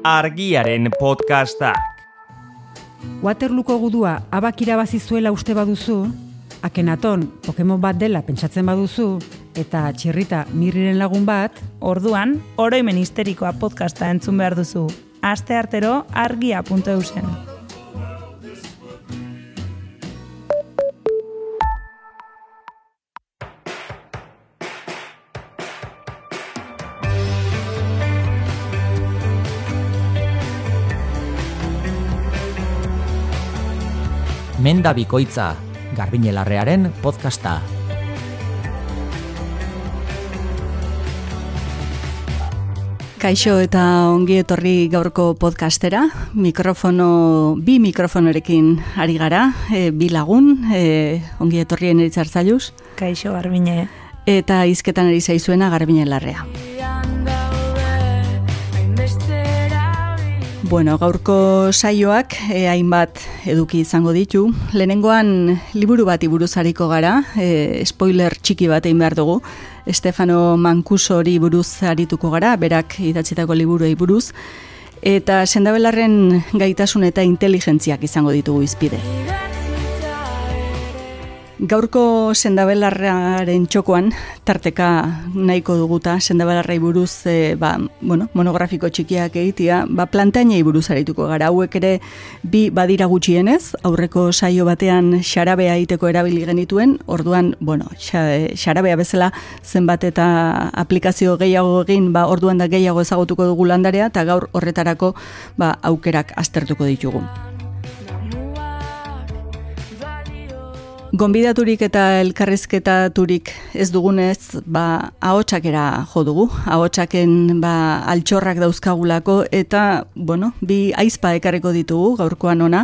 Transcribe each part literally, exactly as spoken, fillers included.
Argiaren podcastak. Waterlooko gudua abak irabazi zuela uste baduzu, Akenaton Pokemon bat dela pentsatzen baduzu, eta Txirrita Mirriren lagun bat, orduan, oroimen histerikoa podcasta entzun behar duzu. Aste artero argia puntu eusen. Menda bikoitza, Garbine Larrearen podcasta. Kaixo eta ongi etorri gaurko podcastera. Mikrofono, bi mikrofonorekin ari gara, e, bi lagun, e, ongi etorrien eritzartzailuz. Kaixo Garbine. Eta hizketan ari zaizuena Garbine Larrea. Bueno, gaurko saioak eh, hainbat eduki izango ditu. Lehenengoan liburu bati buruz ariko gara, eh, spoiler txiki bat egin behar dugu. Stefano Mancusori buruz arituko gara, berak idatzitako liburuei buruz. Eta sendabelarren gaitasun eta inteligentziak izango ditugu izpide. Gaurko sendabelarraren txokoan, tarteka nahiko duguta, sendabelarrai buruz e, ba, bueno, monografiko txikiak egitea, ba, plantainei buruz arituko gara. Hauek ere bi badira gutxienez, aurreko saio batean xarabea egiteko erabili genituen, orduan, bueno, xarabea bezala zenbat eta aplikazio gehiago egin, ba, orduan da gehiago ezagutuko dugu landarea, eta gaur horretarako ba, aukerak aztertuko ditugu. Gonbidaturik eta elkarrizketaturik ez dugunez, ba, ahotsakera jo dugu. Ahotsaken ba, altxorrak dauzkagulako eta, bueno, bi aizpa ekarriko ditugu gaurkoan ona,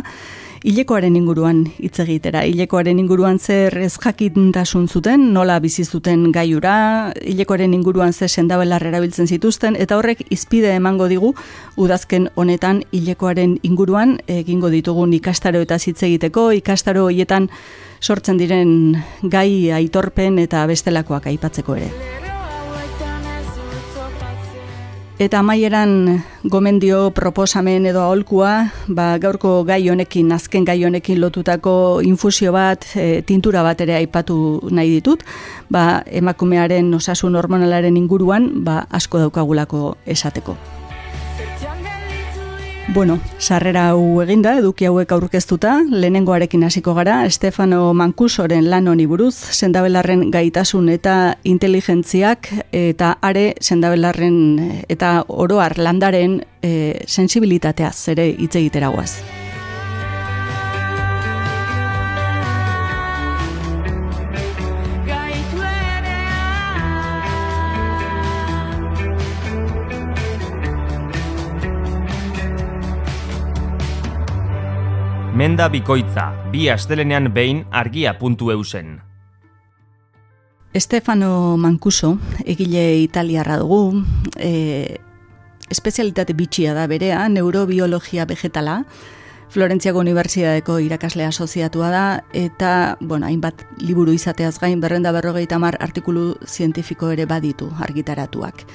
hilekoaren inguruan hitz egitera. Hilekoaren inguruan zer ez jakintasun zuten, nola bizi zuten gaiura, hilekoaren inguruan ze sendabelar erabiltzen zituzten, eta horrek izpide emango digu udazken honetan hilekoaren inguruan egingo ditugun ikastaro eta hitz egiteko, ikastaro hoietan sortzen diren gai aitorpen eta bestelakoak aipatzeko ere. Eta amaieran gomendio proposamen edo aholkua, ba, gaurko gai honekin, azken gai honekin lotutako infusio bat, e, tintura bat ere aipatu nahi ditut, ba, emakumearen osasun hormonalaren inguruan, ba, asko daukagulako esateko. Bueno, sarrera hau eginda, eduki hauek aurkeztuta, lehenengoarekin hasiko gara, Stefano Mancusoren lan honi buruz, sendabelarren gaitasun eta inteligentziak, eta are sendabelarren eta oroar landaren e, sensibilitateaz ere hitz egitera goaz. Menda bikoitza, bi astelenean behin argia puntu eusen. Stefano Mancuso, egile italiarra dugu, e, espezialitate bitxia da berea, neurobiologia vegetala, Florentziako Unibertsitateko irakasle asoziatua da, eta, bueno, hainbat liburu izateaz gain berrenda berrogeita hamar artikulu zientifiko ere baditu argitaratuak.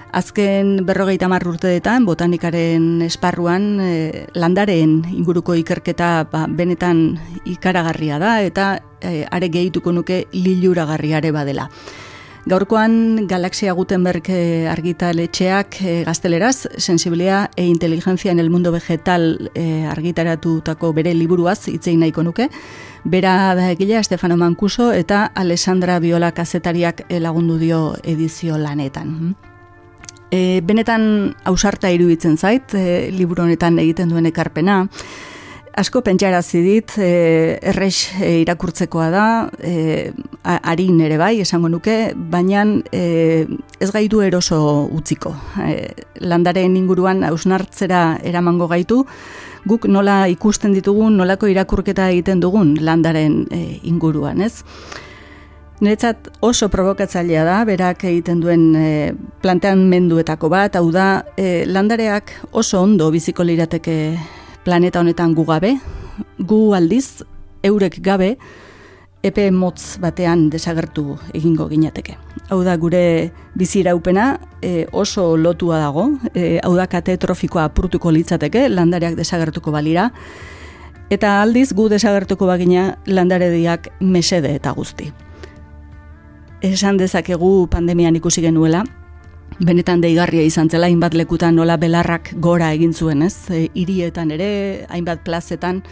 Azken berrogeita hamar urteetan, botanikaren esparruan, e, landareen inguruko ikerketa ba, benetan ikaragarria da, eta e, are gehituko nuke liluragarriare badela. Gaurkoan, Galaxia Gutenberg argitaletxeak e, gazteleraz, sensibilia e inteligencia en el mundo vegetal e, argitaratutako bere liburuaz hitzein nahiko nuke. Bera da egilea Stefano Mancuso eta Alessandra Viola kazetariak lagundu dio edizio lanetan. E, benetan ausarta iruditzen zait, e, liburu honetan egiten duen ekarpena. Asko pentsarazi dit, e, errex e, irakurtzekoa da, e, arin ere bai, esango nuke, baina e, ez gaitu eroso utziko. E, landaren inguruan hausnartzera eramango gaitu, guk nola ikusten ditugun, nolako irakurketa egiten dugun landaren e, inguruan, ez? Niretzat oso provokatzailea da, berak egiten duen e, planteamenduetako bat, hau da, e, landareak oso ondo biziko lirateke planeta honetan gu gabe, gu aldiz, eurek gabe, epe motz batean desagertu egingo ginateke. Hau da, gure biziraupena e, oso lotua dago, e, hau da kate trofikoa apurtuko litzateke, landareak desagertuko balira, eta aldiz gu desagertuko bagina landarediak mesede eta guzti. Esan dezakegu pandemian ikusi genuela, benetan deigarria izan zela, hainbat lekutan nola belarrak gora egin zuen, ez? E, hirietan ere, hainbat plazetan,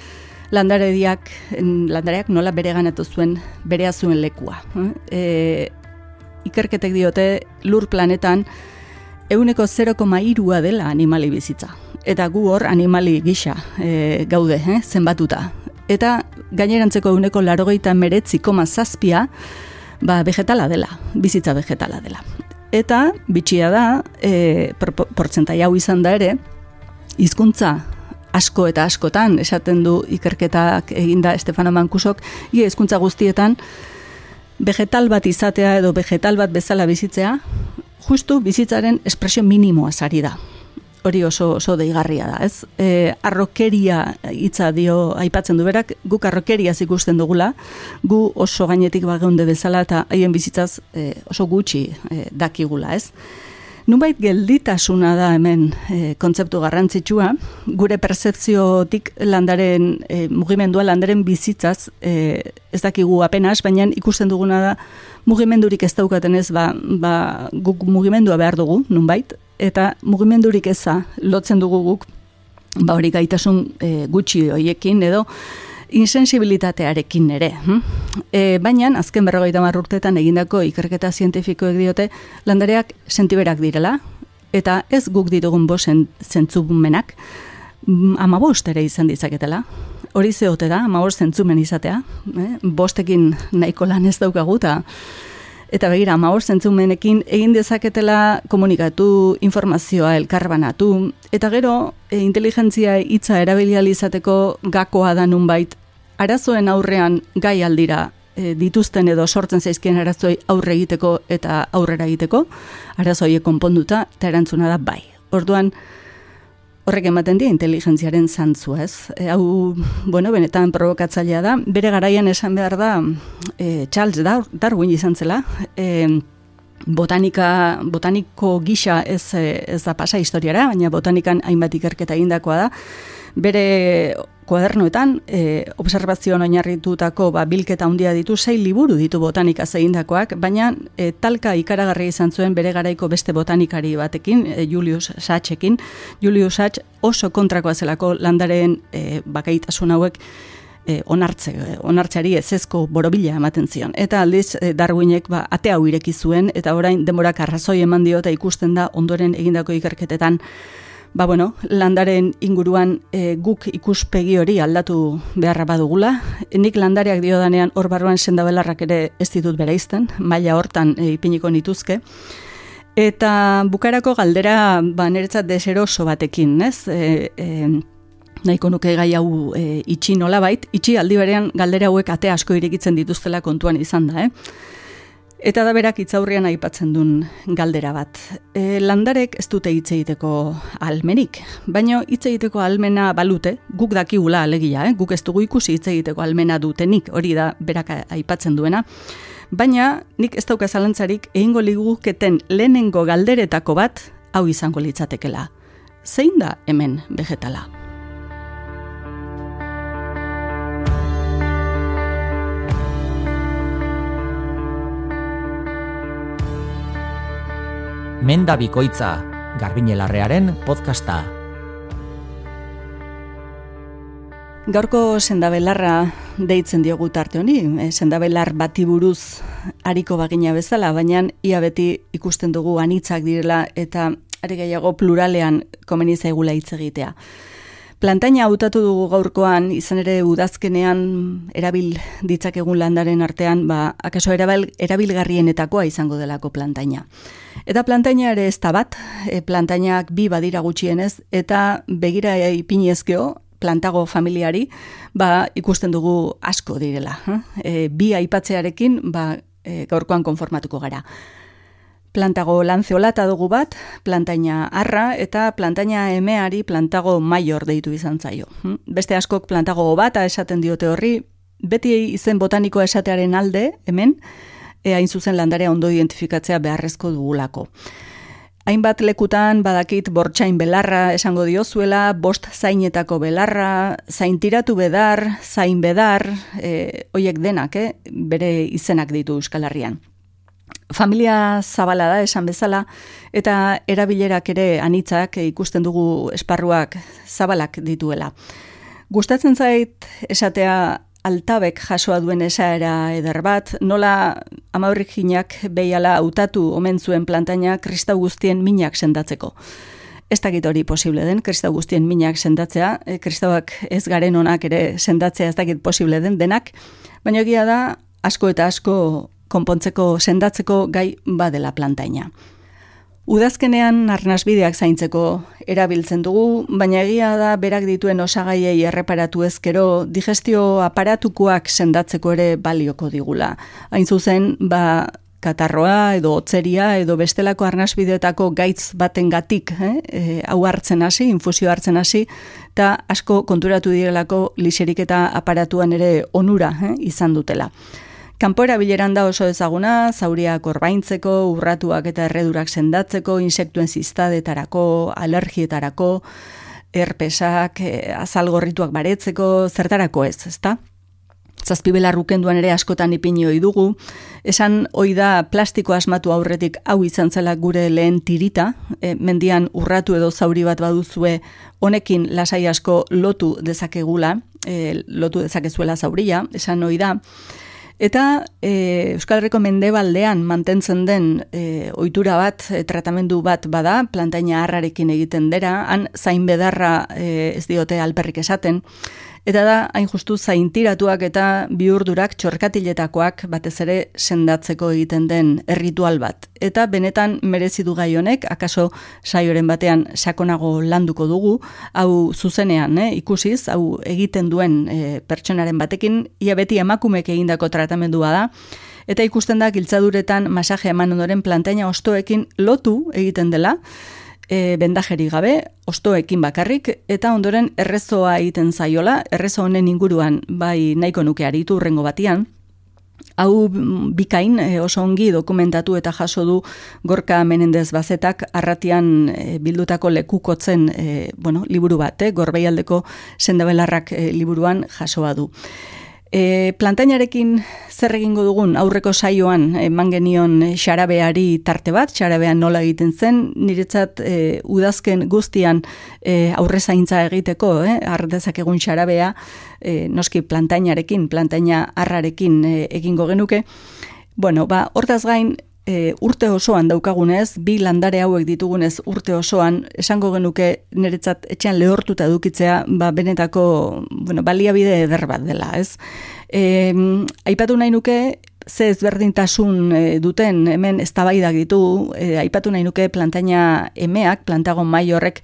landarediak, landareak nola bere ganatu zuen, berea zuen lekua. E, ikerketek diote lur planetan ehuneko zero koma hirua dela animali bizitza. Eta gu hor animali gisa e, gaude, eh, zenbatuta. Eta gainerantzeko ehuneko laurogeita hemeretzi koma zazpia ba, vegetala dela, bizitza vegetala dela. Eta bitxia da, e, portzentai hau izan da ere, hizkuntza asko eta askotan, esaten du ikerketak eginda Stefano Mankusok, ia hizkuntza guztietan, vegetal bat izatea edo vegetal bat bezala bizitzea, justu bizitzaren espresio minimoa sari da. Hori oso, oso deigarria da, ez? E, arrokeria hitza dio aipatzen du berak, guk arrokeriaz ikusten dugula, gu oso gainetik bageunde bezala eta haien bizitzaz e, oso gutxi e, dakigula, ez? Nunbait gelditasuna da hemen e, kontzeptu garrantzitsua, gure pertzepziotik landaren e, mugimendua, landaren bizitzaz e, ez dakigu apenas, baina ikusten duguna da mugimendurik ez daukaten ez, ba, ba, guk mugimendua behar dugu, nunbait, eta mugimendurik eza lotzen dugu guk, ba hori gaitasun e, gutxi hoiekin edo insensibilitatearekin ere. E, baina, azken berrogeita hamar urteetan egindako ikerketa zientifikoek diote, landareak sentiberak direla, eta ez guk ditugun bosen zentzumenak, amabost ere izan ditzaketela. Hori zehote da, amabost zentzumen izatea, eh? Bostekin nahiko lan ez daukagu, eta Eta begira, amabost zentzumenekin egin dezaketela komunikatu, informazioa elkarbanatu, eta gero, e, inteligentzia hitza erabili ahal izateko gakoa da nunbait, arazoen aurrean gai aldira e, dituzten edo sortzen zaizkien arazoi aurre egiteko eta aurrera egiteko, arazoiek konponduta, eta erantzuna da bai. Orduan, horrek ematen die inteligentziaren zantzua, ez? E, hau, bueno, benetan provokatzailea da. Bere garaian esan behar da, e, Charles Darwin izan zela, e, botanika, botaniko gisa ez, ez da pasa historiara, baina botanikan hainbat ikerketa egindakoa da. Bere kuadernoetan, e, observazioan oinarritutako ba, bilketa handia ditu, sei liburu ditu botanikaz egindakoak, baina e, talka ikaragarria izan zuen bere garaiko beste botanikari batekin, e, Julius Sachsekin. Julius Sachs oso kontrakoa zelako landaren e, bakaitasun hauek e, onartze, onartzeari ezezko borobila ematen zion. Eta aldiz e, Darwinek ba, ate hau ireki zuen, eta orain denborak arrazoi eman dio eta ikusten da ondoren egindako ikerketetan Ba, bueno, landaren inguruan e, guk ikuspegi hori aldatu beharra badugula. Nik landareak diodanean hor barruan sendabelarrak ere ez ditut bereizten, maila hortan e, ipiniko nituzke. Eta bukarako galdera ba, niretzat deseroso batekin, ez? E, e, nahiko nuke gai hau e, itxi nolabait, itxi aldi berean galdera hauek ate asko irekitzen dituztela kontuan izan da, eh? Eta da berak hitzaurrean aipatzen duen galdera bat. E, landarek ez dute hitz egiteko ahalmenik, baina hitz egiteko ahalmena balute, guk dakigula alegia, eh? Guk ez dugu ikusi hitz egiteko ahalmena dutenik, hori da berak aipatzen duena. Baina nik ez dauka zalantzarik egingo liguketen lehenengo galderetako bat hau izango litzatekela. Zein da hemen vegetala? Menda bikoitza, Garbiñelarrearen podcasta. Gaurko sendabelarra deitzen diogu tarte honi, e, sendabelar bati buruz ariko bagina bezala, baina ia beti ikusten dugu anitzak direla eta are gehiago pluralean komeni zaigula hitz egitea. Plantaina hautatu dugu gaurkoan, izan ere udazkenean erabil ditzakegun landaren artean, ba, akaso erabil, erabilgarrienetakoa izango delako plantaina. Eta plantaina ere ez da bat, e, plantainak bi badira gutxienez, eta begira ipinezkeo, plantago familiari, ba, ikusten dugu asko direla. E, bi aipatzearekin, ba, e, gaurkoan konformatuko gara. Plantago lanceolata dugu bat, plantaina arra, eta plantaina emeari plantago maior deitu izan zaio. Beste askok plantago bata esaten diote horri, beti izen botanikoa esatearen alde, hemen, e, hain zuzen landarea ondo identifikatzea beharrezko dugulako. Hainbat lekutan badakit bortxain belarra esango diozuela, bost zainetako belarra, zaintiratu bedar, zain bedar, e, oiek denak, eh, bere izenak ditu Euskal Herrian. Familia zabala da esan bezala, eta erabilerak ere anitzak ikusten dugu esparruak zabalak dituela. Gustatzen zait esatea altabek jasoa duen esaera eder bat, nola amaurrikinak behiala hautatu omen zuen plantaina kristau guztien minak sendatzeko. Ez dakit hori posible den, kristau guztien minak sendatzea, e, kristauak ez garen onak ere sendatzea ez dakit posible den denak, baina egia da asko eta asko konpontzeko sendatzeko gai badela plantaina. Udazkenean arnasbideak zaintzeko erabiltzen dugu, baina egia da berak dituen osagaiei erreparatu ezkero digestio aparatukoak sendatzeko ere balioko digula. Hain zuzen, ba, katarroa edo otzeria edo bestelako arnasbideetako gaitz baten gatik, eh? e, hau hartzen hasi, infusio hartzen hasi, eta asko konturatu direlako liseriketa aparatuan ere onura eh? izan dutela. Kanpo erabileran da oso ezaguna, zauriak orbaintzeko, urratuak eta erredurak sendatzeko, insektuen ziztadetarako, alergietarako, herpesak, azalgorrituak baretzeko, zertarako ez, ezta? Zazpibelar ukenduan ere askotan ipini ohi dugu, esan ohi da plastiko asmatu aurretik hau izan zela gure lehen tirita, e, mendian urratu edo zauri bat baduzue honekin lasai asko lotu dezakegula, e, lotu dezakezuela zauria, esan ohi da. Eta e, Euskal Herriko mendebaldean mantentzen den e, ohitura bat, e, tratamendu bat bada, plantaina harrarekin egiten dera, han zain bedarra e, ez diote alperrik esaten, eta da hain justu zaintiratuak eta bihurdurak txorkatiletakoak batez ere sendatzeko egiten den erritual bat. Eta benetan merezi du gai honek, akaso saioren batean sakonago landuko dugu, hau zuzenean eh, ikusiz, hau egiten duen eh, pertsonaren batekin, ia beti emakumek egindako tratamendua da, eta ikusten da giltzaduretan masaje eman ondoren plantaina ostoekin lotu egiten dela, E, bendajeri gabe, ostoekin bakarrik, eta ondoren errezoa egiten zaiola, errezo honen inguruan bai nahiko nuke aritu urrengo batian. Hau bikain oso ongi dokumentatu eta jaso du Gorka Menendez Bazetak arratian e, bildutako lekukotzen e, bueno, liburu bat, eh, Gorbeialdeko sendabelarrak e, liburuan jasoa du. E, plantainarekin zer egingo dugun aurreko saioan eman genion xarabeari tarte bat, xarabean nola egiten zen, niretzat e, udazken guztian e, aurre zaintza egiteko, eh, ardezak egun xarabea, e, noski plantainarekin, plantaina harrarekin e, egingo genuke. Bueno, ba, hortaz gain, E, urte osoan daukagunez, bi landare hauek ditugunez urte osoan, esango genuke niretzat etxean lehortuta edukitzea, ba, benetako bueno, baliabide eder bat dela, ez? E, aipatu nahi nuke, ze ezberdintasun e, duten hemen eztabaidak ditu, e, aipatu nahi nuke plantaina emeak, plantagon mai horrek,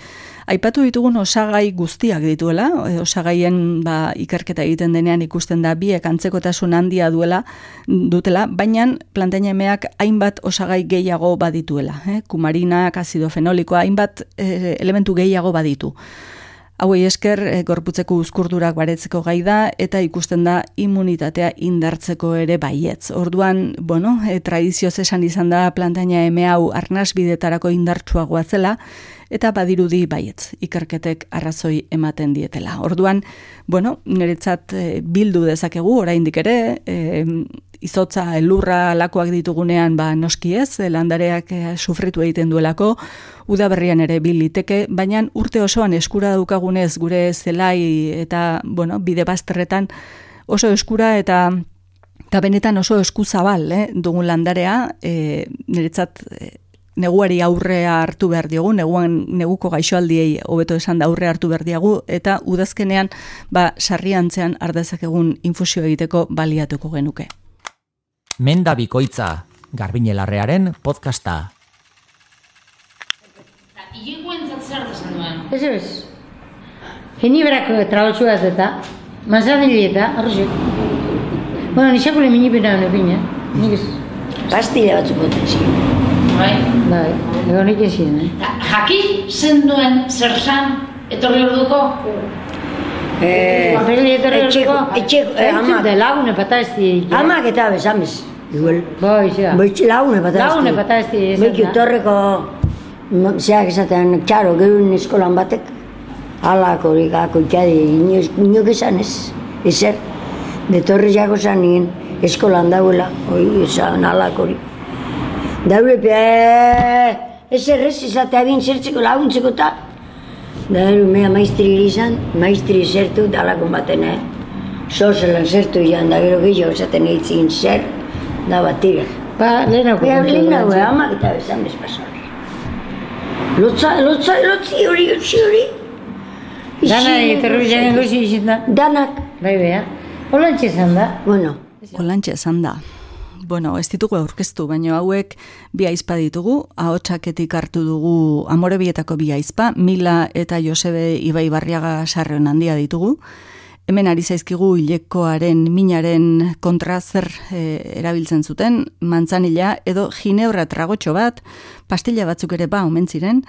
aipatu ditugun osagai guztiak dituela, e, osagaien ba, ikerketa egiten denean ikusten da biek antzekotasun handia duela, dutela, baina plantaina emeak hainbat osagai gehiago badituela, eh? Kumarinak, azido fenolikoa, hainbat e, elementu gehiago baditu. Hauei esker, e, gorputzeko uzkurdurak baretzeko gai da, eta ikusten da immunitatea indartzeko ere baietz. Orduan, bueno, e, tradizioz esan izan da plantaina eme hau arnasbidetarako indartsuagoa zela, eta badirudi baietz, ikerketek arrazoi ematen dietela. Orduan, bueno, niretzat e, bildu dezakegu, oraindik ere, e, izotza, elurra, lakoak ditugunean, ba, noski ez, landareak e, sufritu egiten duelako, udaberrian ere biliteke, baina urte osoan eskura daukagunez gure zelai eta, bueno, bide bazterretan oso eskura eta eta benetan oso eskuzabal, eh, dugun landarea, e, niretzat e, neguari aurrea hartu behar diogu, neguan, neguko gaixoaldiei hobeto esan da aurrea hartu behar diagu, eta udazkenean ba, sarriantzean ardezak egun infusio egiteko baliatuko genuke. Menda bikoitza, Garbiñelarrearen podcasta. Ilekoentzat zer desan duen? Ez ez. Heni berako trabatxua ez eta, manzanili eta, arrozio. Bueno, nixakule minipena hone pina, nik ez. Pastilla batzuk boten ziren. Bai? Bai, egon iken ziren, eh? Jaki zen duen zer zan, etorri orduko? Eh, etxeko, etxeko, eh, amak. Lagune pata ez di. Amak eta bezamez. Igual. Bai, zea. Bai, lagune pata ez di. Lagune pata ez di. Bai, torreko, zeak esaten, txaro, gerun eskolan batek, alak hori gako ikadi, inok esan ez, ezer. De torre jako zan nien, eskolan dauela, hori esan alak hori. Daure, ezer ez, esatea bin zertzeko laguntzeko eta, da, mea maistri izan, maistri zertu dalakon baten, eh? Sozelan zertu izan, da gero gehiago esaten eitzin zer, da bat tira. Ba, lehenako. Ea, lehenako, amak eta bezan bezpaso. Lotza, lotza, lotzi hori, lotzi hori. Dana terrorizaren gozi izin da. Danak. Bai, beha. Olantxe zan da. Bueno. Olantxe zan da. Bueno, ez ditugu aurkeztu, baina hauek bi aizpa ditugu, ahotsaketik hartu dugu Amorebietako bi aizpa, Mila eta Josebe Ibaibarriaga Sarreon handia ditugu. Hemen ari zaizkigu hilekoaren minaren kontra zer e, erabiltzen zuten, mantzanila edo ginebra tragotxo bat, pastilla batzuk ere ba omen ziren,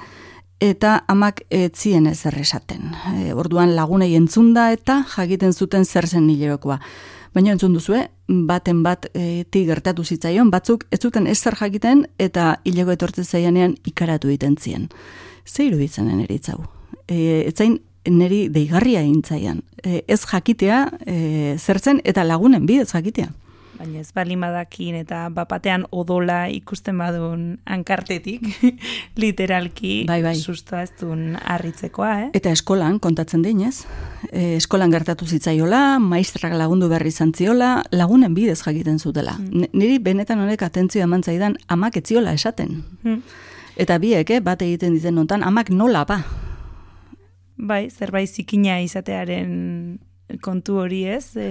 eta amak etzien ezer esaten. E, orduan lagunei entzunda eta jakiten zuten zer zen hilerokoa. Baina entzun duzue, baten bat e, ti gertatu zitzaion, batzuk ez zuten ezer jakiten eta hileko etortzen zaianean ikaratu egiten zien. Ze iruditzenen eritzau? E, etzain neri deigarria egintzaian. E, ez jakitea e, zertzen eta lagunen bidez jakitea. Baina ez balimadakin eta bapatean odola ikusten badun hankartetik, literalki bai, bai. Sustoa ez duen harritzekoa, eh? Eta eskolan, kontatzen dinez, e, eskolan gertatu zitzaiola, maistrak lagundu berri zantziola, lagunen bidez jakiten zutela. Mm. Niri benetan honek atentzioa eman zaidan amak etziola esaten. Mm. Eta biek, eh, bat egiten diten nontan, amak nola ba? Bai, zerbait zikina izatearen kontu hori ez. E...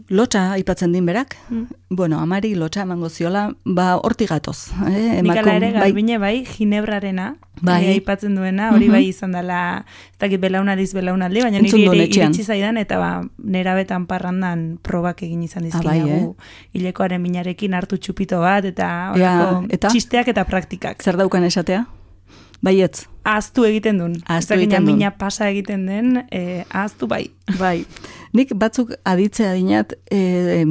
Lotxa aipatzen din berak. Mm. Bueno, amari lotxa emango ziola, ba horti gatoz. Eh? Nikala ere garbine bai, ginebrarena, bai. E, aipatzen duena, hori bai izan dela, ez dakit belaunaldiz belaunaldi, baina niri ere iritsi zaidan, eta ba, nerabetan parrandan probak egin izan dizkinagu, ah, bai, eh? Hilekoaren minarekin hartu txupito bat, eta, ja, eta txisteak eta praktikak. Zer daukan esatea? Baietz. Ahaztu egiten duen. Ahaztu egiten duen. Mina pasa egiten den, eh, ahaztu bai. Bai. Nik batzuk aditzea dinat, eh,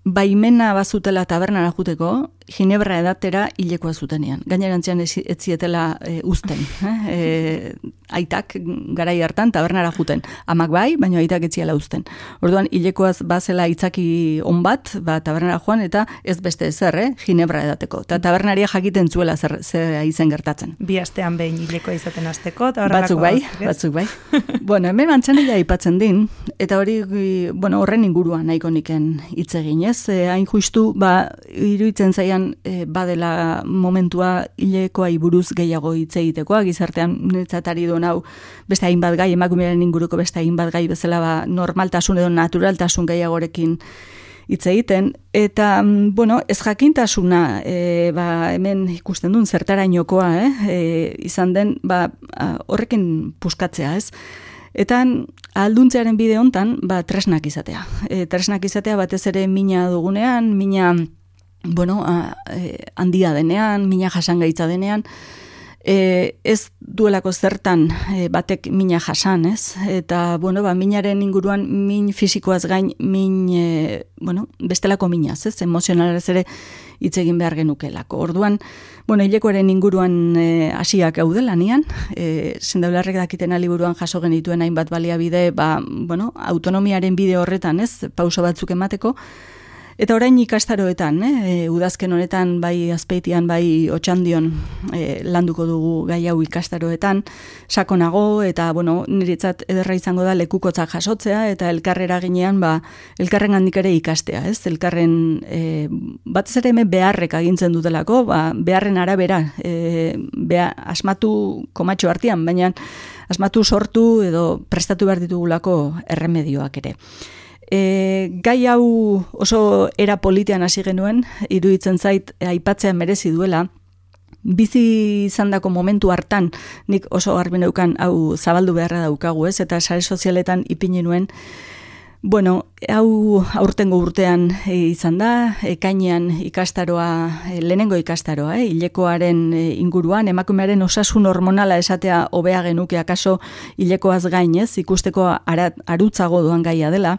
baimena bazutela tabernara juteko, ginebra edatera hilekoa zutenean. Gainerantzean ez zietela e, uzten. Eh? E, aitak garai hartan tabernara juten. Amak bai, baina aitak ez ziela uzten. Orduan hilekoaz bazela itzaki on bat, ba, tabernara joan eta ez beste ezer, eh? Ginebra edateko. Eta tabernaria jakiten zuela zer, zer izen gertatzen. Bi astean behin hilekoa izaten hasteko. Batzuk bai, batzuk bai. Bueno, hemen mantzanila aipatzen din, eta hori, bueno, horren inguruan nahiko niken hitz egin, ez? E, hain justu, ba, iruditzen zaian e, badela momentua hilekoai buruz gehiago hitz egitekoa, gizartean netzatari duen hau beste hainbat gai, emakumearen inguruko beste hainbat gai bezala ba, normaltasun edo naturaltasun gehiagorekin hitz egiten, eta, bueno, ez jakintasuna, e, ba, hemen ikusten duen zertarainokoa, eh? E, izan den, ba, horrekin puskatzea, ez? Eta alduntzearen bide hontan, ba, tresnak izatea. E, tresnak izatea batez ere mina dugunean, mina, bueno, a, e, handia denean, mina jasangaitza denean, e, ez duelako zertan e, batek mina jasan, ez? Eta, bueno, ba, minaren inguruan min fisikoaz gain, min, e, bueno, bestelako minaz, ez? Emozionalez ere hitz egin behar genukelako. Orduan, bueno, hilekoaren inguruan hasiak e, gaudela nian, e, zendaularrek dakiten liburuan jaso genituen hainbat baliabide, ba, bueno, autonomiaren bide horretan, ez, pauso batzuk emateko, eta orain ikastaroetan, eh, udazken honetan, bai Azpeitian, bai Otxandion e, landuko dugu gai hau ikastaroetan, sakonago, eta, bueno, niretzat ederra izango da lekukotzak jasotzea, eta elkarrera ginean, ba, elkarren handik ere ikastea, ez? Elkarren, e, batez ere hemen beharrek agintzen dutelako, ba, beharren arabera, e, beha, asmatu komatxo artean, baina asmatu sortu edo prestatu behar ditugulako erremedioak ere. E, gai hau oso era politean hasi genuen, iruditzen zait aipatzea merezi duela, bizi izandako momentu hartan nik oso garbi neukan hau zabaldu beharra daukagu, ez? Eta sare sozialetan ipini nuen, Bueno, hau aurtengo urtean izan da, ekainean ikastaroa, lehenengo ikastaroa, eh, hilekoaren inguruan, emakumearen osasun hormonala esatea hobea genuke akaso hilekoaz gainez, ikusteko ara, arutzago doan gaia dela.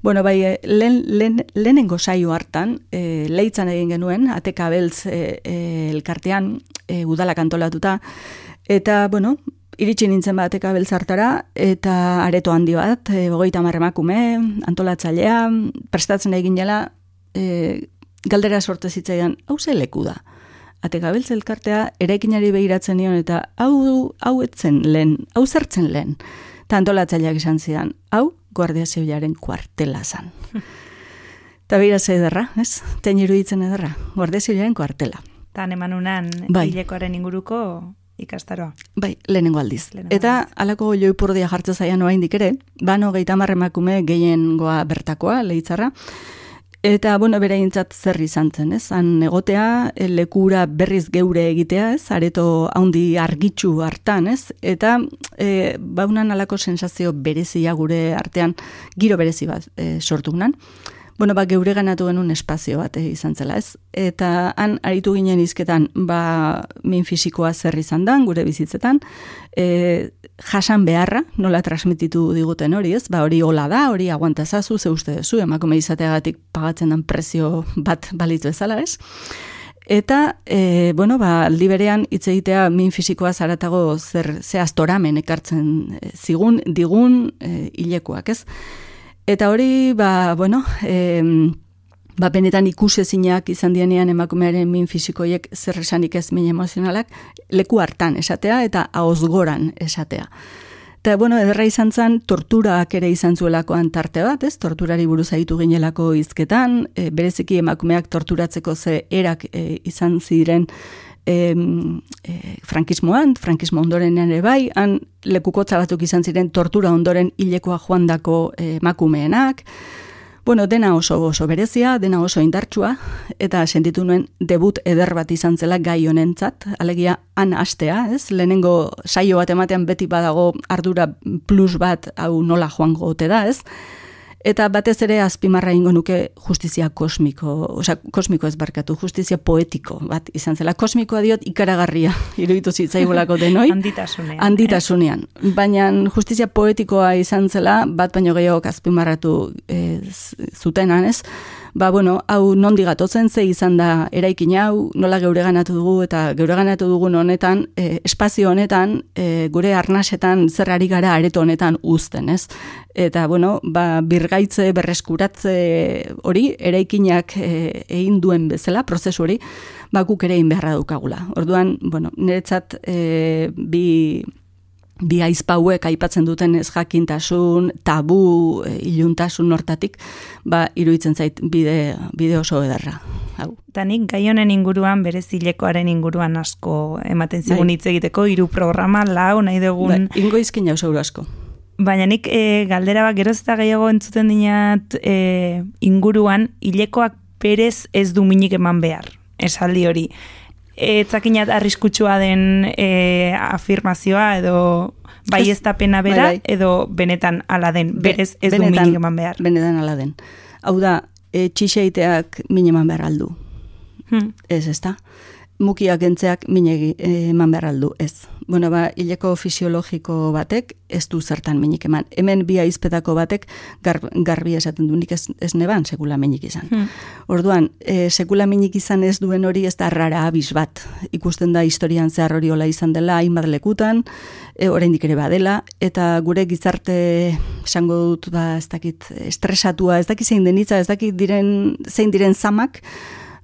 Bueno, bai, lehen, lehen, lehenengo saio hartan, e, leitzan egin genuen, Ateka Beltz e, e, elkartean, e, udalak antolatuta, eta, bueno, iritsi nintzen bat Ateka Beltz hartara, eta areto handi bat, e, hogeita hamar emakume, antolatzailea, prestatzen egin jela, e, galdera sorte zitzaidan, hau ze leku da. Ateka Beltz elkartea eraikinari behiratzen nion, eta hau, hau etzen lehen, hau zertzen lehen. Eta antolatzaileak izan zidan, hau, Guardia Zibilaren kuartela zan. Eta behira ze ederra, ez? Tein iruditzen ederra, Guardia Zibilaren kuartela. Tan eman unan bai. Hilekoaren inguruko ikastaroa. Bai, lehenengo aldiz. Lehenengo Eta aldiz. Alako joipurdia jartzen zaian oraindik ere, bano gehieta hamar emakume gehiengoa bertakoa, leitzarra, eta, bueno, bereintzat zer izan zen, ez? Han egotea, lekura berriz geure egitea, ez? Areto haundi argitxu hartan, ez? Eta e, baunan alako sensazio berezia gure artean, giro berezi bat e, sortu gunan. Bueno, ba, geure ganatu genuen espazio bat e, izan zela, ez? Eta han aritu ginen izketan, ba, min fisikoa zer izan dan, gure bizitzetan, e, jasan beharra, nola transmititu diguten hori, ez? Ba, hori hola da, hori aguantazazu, ze uste duzu, emakume izateagatik pagatzen dan prezio bat balitu ezala, ez? Eta, e, bueno, ba, aldi berean hitz egitea min fisikoa zaratago zer ze astoramen ekartzen e, zigun, digun e, hilekoak, ez? Eta hori, ba, bueno, e, ba, benetan ikusezinak izan dienean emakumearen min fisikoiek zer esanik ez min emozionalak, leku hartan esatea eta ahozgoran esatea. Eta, bueno, ederra izan zen, torturak ere izan zuelakoan tarte bat, ez? Torturari buruz aitu ginelako hizketan, e, bereziki emakumeak torturatzeko ze erak e, izan ziren e, e, frankismoan, frankismo ondorenean ere bai, han lekukotza batzuk izan ziren tortura ondoren hilekoa joandako emakumeenak, bueno, dena oso oso berezia, dena oso indartsua, eta sentitu nuen debut eder bat izan zela gai honentzat, alegia han hastea, ez? Lehenengo saio bat ematean beti badago ardura plus bat hau nola joango ote da, ez? Eta batez ere azpimarra ingo nuke justizia kosmiko, osea, kosmiko ez barkatu, justizia poetiko bat izan zela. Kosmikoa diot ikaragarria, iruditu zitzaigolako denoi. Handitasunean. Handitasunean. Eh? Baina justizia poetikoa izan zela, bat baino gehiago azpimarratu eh, zutenan, ez? Ba, bueno, hau nondi gatotzen, ze izan da eraikin hau, nola geure ganatu dugu, eta geure ganatu dugun honetan, e, espazio honetan, e, gure arnasetan zer ari gara areto honetan uzten, ez? Eta, bueno, ba, birgaitze, berreskuratze hori, eraikinak e, egin duen bezala, prozesu hori, ba, guk ere egin beharra daukagula. Orduan, bueno, niretzat e, bi... bi aizpauek aipatzen duten ez jakintasun, tabu, e, iluntasun hortatik, ba, iruditzen zait bide, bide oso ederra. Hau. Eta nik gai honen inguruan, berez hilekoaren inguruan asko ematen zigun hitz egiteko, hiru programa, lau, nahi dugun... Ba, ingo izkin jau zeuro asko. Baina nik e, galdera bat geroz eta gehiago entzuten dinat e, inguruan, hilekoak berez ez du minik eman behar, esaldi hori. Etzakinat arriskutsua den e, afirmazioa edo bai ez da pena bera, bai, bai. Edo benetan ala den, berez ez Be, benetan, du minik eman behar. Benetan ala den. Hau da, e, txixeiteak min eman behar aldu. Hmm. Ez, ez da. Mukiak entzeak min eman behar aldu, ez. Bueno, ba, hileko fisiologiko batek ez du zertan minik eman. Hemen bi aizpetako batek gar, garbi esaten du, nik ez, ez neban sekula minik izan. Hmm. Orduan, e, sekula minik izan ez duen hori ez da rara abiz bat. Ikusten da historian zehar hori hola izan dela, hainbat lekutan, e, oraindik ere badela, eta gure gizarte esango dut, ba, ez dakit, estresatua, ez dakit zein denitza, ez dakit diren, zein diren zamak,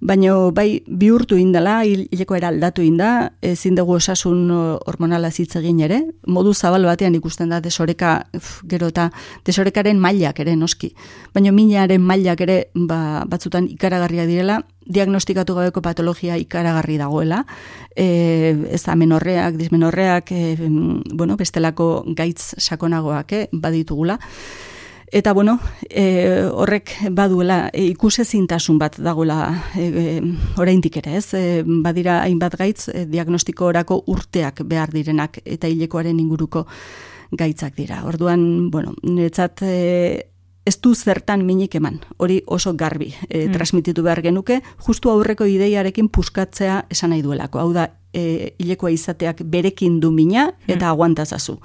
baina bai bihurtu indala, hileko era aldatu inda, ezin dugu osasun hormonala hitz egin ere, modu zabal batean ikusten da desoreka, uf, gero eta desorekaren mailak ere noski. Baina minaren mailak ere ba, batzutan ikaragarria direla, diagnostikatu gabeko patologia ikaragarri dagoela, e, ez amenorreak, dismenorreak, e, bueno, bestelako gaitz sakonagoak eh, baditugula. Eta, bueno, e, horrek baduela e, ikusezintasun bat dagoela e, e, oraindik ere, ez? E, badira hainbat gaitz e, diagnostiko orako urteak behar direnak eta hilekoaren inguruko gaitzak dira. Orduan, bueno, niretzat e, ez du zertan minik eman, hori oso garbi e, mm. transmititu behar genuke, justu aurreko ideiarekin puskatzea esan nahi duelako, hau da, E, hilekoa izateak berekin du mina eta aguantazazu.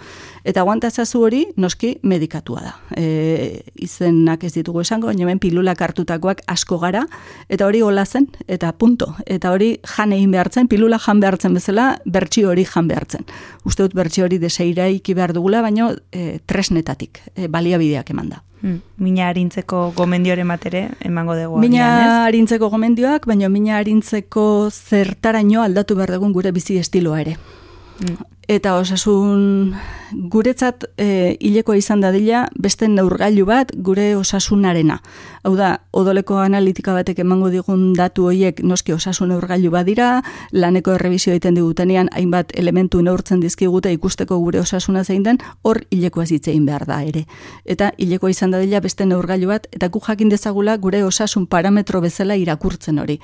Eta aguantazazu hori noski medikatua da. E, izenak ez ditugu esango, baina hemen pilulak hartutakoak asko gara, eta hori hola zen, eta punto. Eta hori jan egin behartzen, pilula jan behartzen bezala, bertsio hori jan behartzen. Uste dut bertsio hori deseiraiki behar dugula, baina e, tresnetatik, e, baliabideak eman da. Hmm. Mina harintzeko gomendioren matere emango dugu. Mina harintzeko gomendioak, baina mina harintzeko zertaraino aldatu behar dugun gure bizi estiloa ere. Hmm. Eta osasun guretzat e, hilekoa izan dadila beste neurgailu bat gure osasunarena. Hau da, odoleko analitika batek emango digun datu horiek noski osasun neurgailu badira, laneko errebizio egiten digutenean hainbat elementu neurtzen dizkigute ikusteko gure osasuna zein den, hor hilekoa zitzein behar da ere. Eta hilekoa izan dadila beste neurgailu bat, eta gu jakin dezagula gure osasun parametro bezala irakurtzen hori.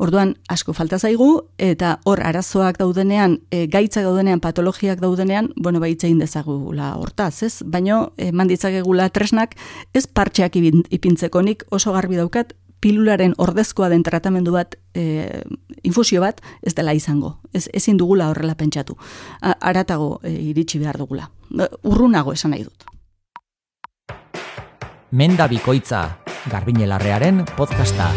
Orduan asko falta zaigu, eta hor arazoak daudenean, e, gaitzak daudenean, patologiak daudenean, bueno, baitzein dezagula hortaz, ez? Baina eman ditzakegula tresnak, ez partxeak ipintzeko, nik oso garbi daukat, pilularen ordezkoa den tratamendu bat, e, infusio bat, ez dela izango. Ez, ezin dugula horrela pentsatu. Aratago e, iritsi behar dugula. Urrunago esan nahi dut. Menda Bikoitza, Garbiñelarrearen podcasta.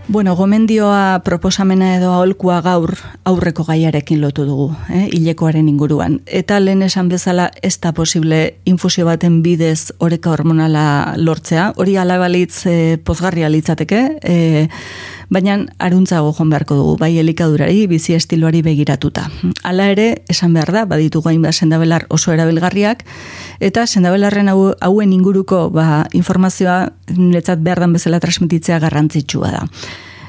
Bueno, gomendioa proposamena edo aholkua gaur aurreko gaiarekin lotu dugu, eh, hilekoaren inguruan. Eta lehen esan bezala ez da posible infusio baten bidez oreka hormonala lortzea, hori alabalitz eh, pozgarria litzateke, eh, baina aruntzago joan beharko dugu, bai elikadurari, bizi estiloari begiratuta. Hala ere, esan behar da, baditugu hainbat sendabelar oso erabilgarriak, eta sendabelarren hau, hauen inguruko ba, informazioa niretzat behar dan bezala transmititzea garrantzitsua da.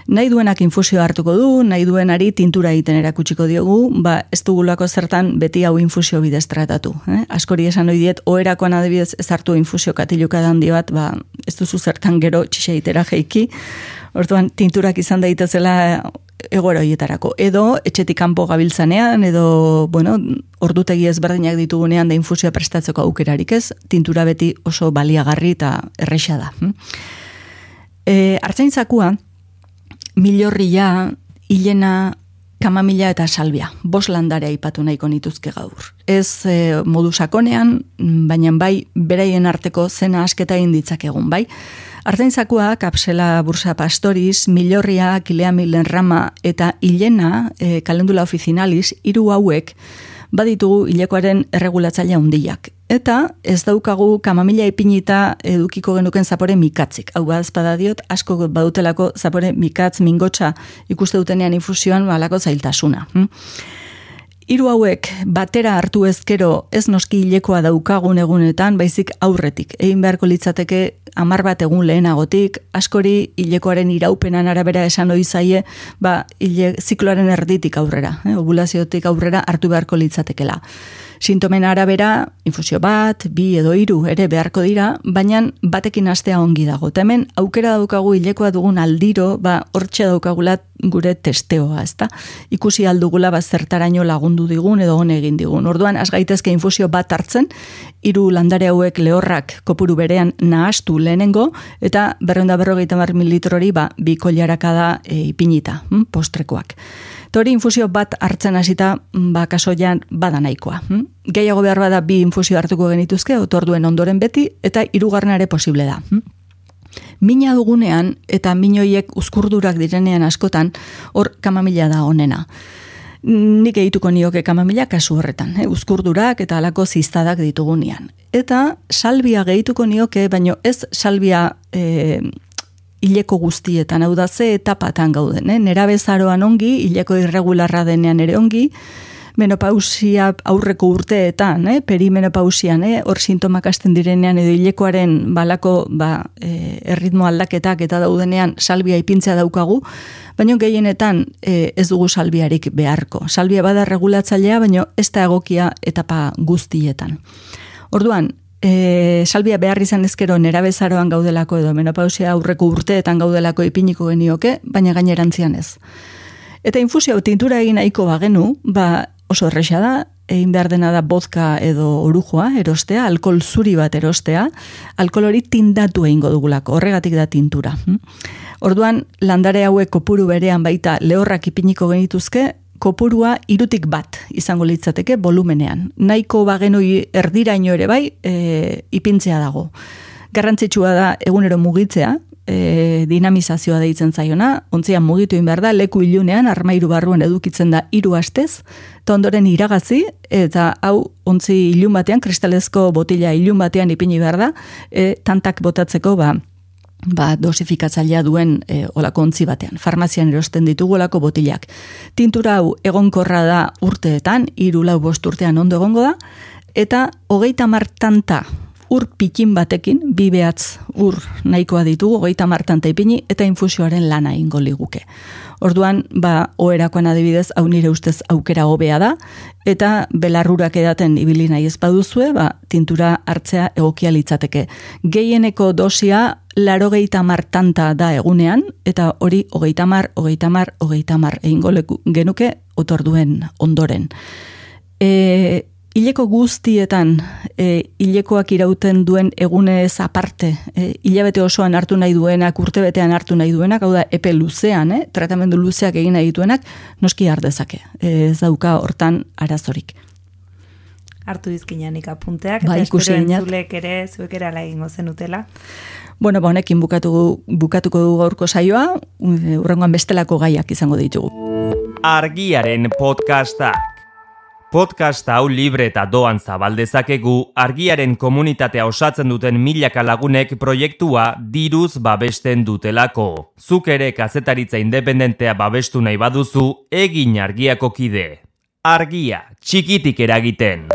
Nahi duenak infusio hartuko du, nahi duenari tintura egiten erakutsiko diogu, ba ez dugulako zertan beti hau infusio bidez tratatu. Eh? Askori esan ohi diet, oherakoan adibidez ez hartu infusio katiluka handi bat, ba ez duzu zertan gero txixeitera jeiki, orduan tinturak izan daitezela egoera horietarako. Edo etxetik kanpo gabiltzanean, edo bueno, ordutegi ezberdinak ditugunean da infusioa prestatzeko aukerarik ez, tintura beti oso baliagarri eta erresa da. E, Artzaintzakua, milorria, hilena, kamamila eta salbia. Bos landare aipatu nahiko nituzke gaur. Ez e, modu sakonean, baina bai beraien arteko zena asketa egin ditzakegun, bai. Artzaintzakua, kapsela bursa pastoris, milorria, kilea milen rama eta hilena, e, kalendula oficinalis, hiru hauek baditugu hilekoaren erregulatzailea handiak. Eta ez daukagu kamamila ipinita edukiko genuken zapore mikatzik. Hau bazpada diot, asko badutelako zapore mikatz, mingotxa ikuste dutenean infusioan balako zailtasuna. Hiru hauek batera hartu ezkero ez noski hilekoa daukagun egunetan, baizik aurretik. Egin beharko litzateke hamar bat egun lehenagotik, askori hilekoaren iraupenan arabera esan ohi zaie, ba, hile, zikloaren erditik aurrera, eh, ovulaziotik aurrera hartu beharko litzatekela. Sintomen arabera, infusio bat, bi edo hiru ere beharko dira, baina batekin hastea ongi dago. Eta hemen aukera daukagu hilekoa dugun aldiro, ba, hortxe daukagula gure testeoa, ezta? Ikusi aldugula ba, zertaraino lagundu digun edo hone egin digun. Orduan, az gaitezke infusio bat hartzen, hiru landare hauek lehorrak kopuru berean nahastu lehenengo, eta berrehun eta berrogeita hamar mililitrori ba, bi koilaraka da e, ipinita, hm, postrekoak. Hori infusio bat hartzen hasita, ba, kasoian bada nahikoa. Hm? Gehiago behar bada bi infusio hartuko genituzke, otorduen ondoren beti, eta hirugarrena ere posible da. Hm? Mina dugunean, eta minoiek uzkurdurak direnean askotan, hor kamamila da onena. Nik egituko nioke kamamila kasu horretan, eh? Uzkurdurak eta alako ziztadak ditugunean. Eta salbia gehituko nioke, baino ez salbia e, hileko guztietan, hau da ze etapatan gauden, eh? Nerabezaroan ongi, hileko irregularra denean ere ongi, menopausia aurreko urteetan, eh? Perimenopausian, eh? Hor sintomak hasten direnean edo hilekoaren balako ba, e, erritmo aldaketak eta daudenean salbia ipintzea daukagu, baina gehienetan e, ez dugu salbiarik beharko. Salbia bada regulatzailea, baina ez da egokia etapa guztietan. Orduan, E, salbia behar izan ezkero nerabezaroan gaudelako edo menopausia aurreko urteetan gaudelako ipiniko genioke, baina gainerantzian ez. Eta infusio tintura egin nahiko bagenu, ba oso erresa da, egin behar dena da vodka edo orujoa erostea, alkohol zuri bat erostea, alkohol hori tindatu egingo dugulako, horregatik da tintura. Orduan, landare hauek kopuru berean baita lehorrak ipiniko genituzke, kopurua irutik bat izango litzateke volumenean. Nahiko bagenoi erdiraino ere bai, e, ipintzea dago. Garrantzitsua da egunero mugitzea, E, dinamizazioa deitzen zaiona, ontzian mugitu egin behar da, leku ilunean, armairu barruan edukitzen da hiru astez, eta ondoren iragazi, eta hau ontzi ilun batean, kristalezko botila ilun batean ipini behar da, e, tantak botatzeko, ba, ba dosifikatzailea duen e, olako ontzi batean. Farmazian erosten ditugu olako botilak. Tintura hau egonkorra da urteetan, hiru lau bost urtean ondo egongo da, eta hogeita hamar tanta ur pikin batekin, bi behatz ur nahikoa ditugu, hogeita hamar tanta ipini, eta infusioaren lana ingo liguke. Orduan, ba, oherakoan adibidez, hau nire ustez aukera hobea da, eta belarrurak edaten ibili nahi ez baduzue, ba, tintura hartzea egokia litzateke. Gehieneko dosia, larogeita hamar tanta da egunean, eta hori hogeita hamar, hogeita hamar, hogeita hamar egingo genuke otorduen ondoren. E, Hileko guztietan, e, hilekoak irauten duen egunez aparte, e, hilabete osoan hartu nahi duenak, urtebetean hartu nahi duenak, hau da, epe luzean, eh, tratamendu luzeak egin nahi duenak, noski ardezake. E, ez dauka hortan arazorik. Hartu dizkinanik apunteak, ba, eta espero entzulek ere, zuek ere ala egingo zenutela. Bueno, ba, honekin bukatu, bukatuko dugu gaurko saioa, hurrengoan bestelako gaiak izango ditugu. Argiaren podcasta. Podcast hau libre eta doan zabaldezakegu argiaren komunitatea osatzen duten milaka lagunek proiektua diruz babesten dutelako. Zuk ere kazetaritza independentea babestu nahi baduzu, egin argiako kide. Argia, txikitik eragiten.